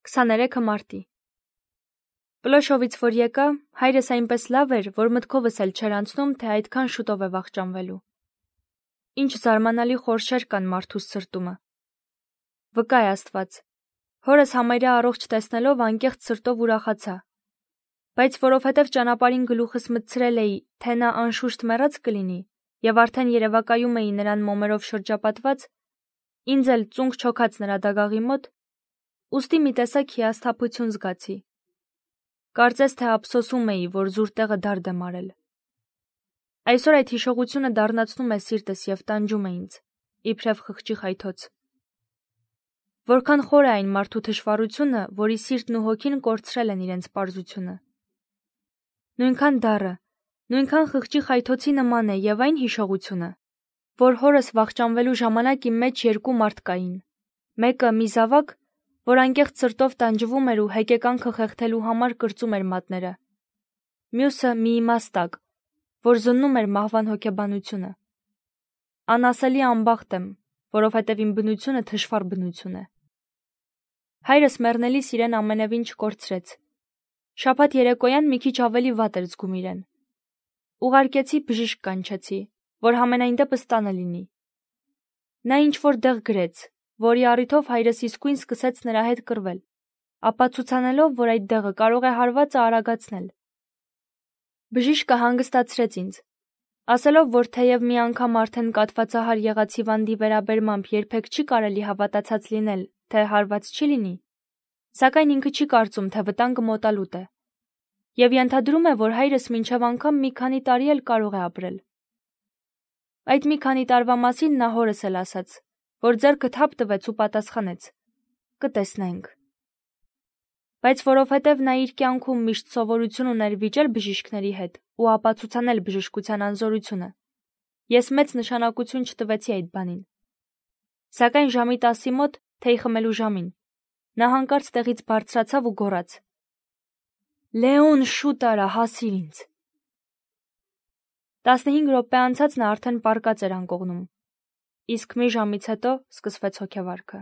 23 մարտի։ Պլոշովից որ եկա, հայրս այնպես լավ էր, որ մտքովս էլ չէր անցնում, թե այդքան շուտով է վախճանվելու։ Ինչ զարմանալի խորշեր կան մարդուս սրտումը։ Վկա է Աստված։ Հորս համարյա առողջ տեսնելով անկեղծ սրտով ուրախացա։ Բայց որովհետև ճանապարհին գլուխս մտցրել էի, թե նա անշուշտ մեռած կլինի, եւ արդեն երևակայում էի նրան մոմերով շրջապատված, ինձ էլ ծունկ չոքած նրա դագաղի մոտ, ուստի մի տեսակ հիասթափություն զգացի։ Կարծես թե ափսոսում էի, որ զուր տեղը դարդ եմ արել։ Այսօր այդ հիշողությունը դառնացնում է սիրտս եւ տանջում է ինձ, իբրև խղճի խայթոց։ Որքան խոր է այն մարդու թշվառությունը, որի սիրտն ու հոգին կորցրել են իրենց պարզությունը։ Նույնքան դառը, նույնքան խղճի խայթոցի նման է եւ այն հիշողությունը, որ հորս վախճանվելու ժամանակ իմ մեջ երկու մարդ կային։ Մեկը մի զավակ, որ անկեղծ սրտով տանջվում էր ու հեկեկանքը խեղդելու համար կրծում էր մատները։ Մյուսը մի իմաստակ, որ զննում էր մահվան հոգեբանությունը։ Անասելի անբախտ եմ, որովհետև իմ բնությունը թշվառ բնություն է։ Հայրս մեռնելիս իրեն ամենևին չկորցրեց։ Շաբաթ երեկոյան մի քիչ ավելի վատ էր զգում իրեն։ Ուղարկեցի բժիշկ կանչեցի, որ համենայն դեպս տանը լինի։ Նա ինչ-որ դեղ գրեց, որի առիթով հայրս իսկույն սկսեց նրա հետ կռվել, ապացուցանելով, որ այդ դեղը կարող է հարվածը արագացնել։ Բժիշկը հանգստացրեց ինձ, ասելով, որ թեև մի անգամ արդեն կաթվածահար եղած հիվանդի վերաբերմամբ երբեք չի կարելի հավատացած լինել, թե հարված չի լինի, սակայն ինքը չի կարծում, թե վտանգը մոտալուտ է, եւ ենթադրում է, որ հայրս մինչև անգամ մի քանի տարի էլ կարող է ապրել։ Այդ մի քանի տարվա մասին նա հորս էլ ասաց, որ ձեռքը թափ տվեց ու պատասխանեց. կտեսնենք։ Բայց որովհետև նա իր կյանքում միշտ սովորություն ուներ վիճել բժիշկների հետ ու ապացուցանել բժշկության անզորությունը, ես մեծ նշանակություն չտվեցի այդ բանին։ Սակայն ժամի 10-ի մոտ, թեյ խմելու ժամին, նա հանկարծ տեղից բարձրացավ ու գոռաց. «Լեոն, շուտ արա, հասիր ինձ»։ 15 րոպե անցած նա արդեն պառկած էր անկողնում, իսկ մի ժամից հետո սկսվեց հոգեվարքը։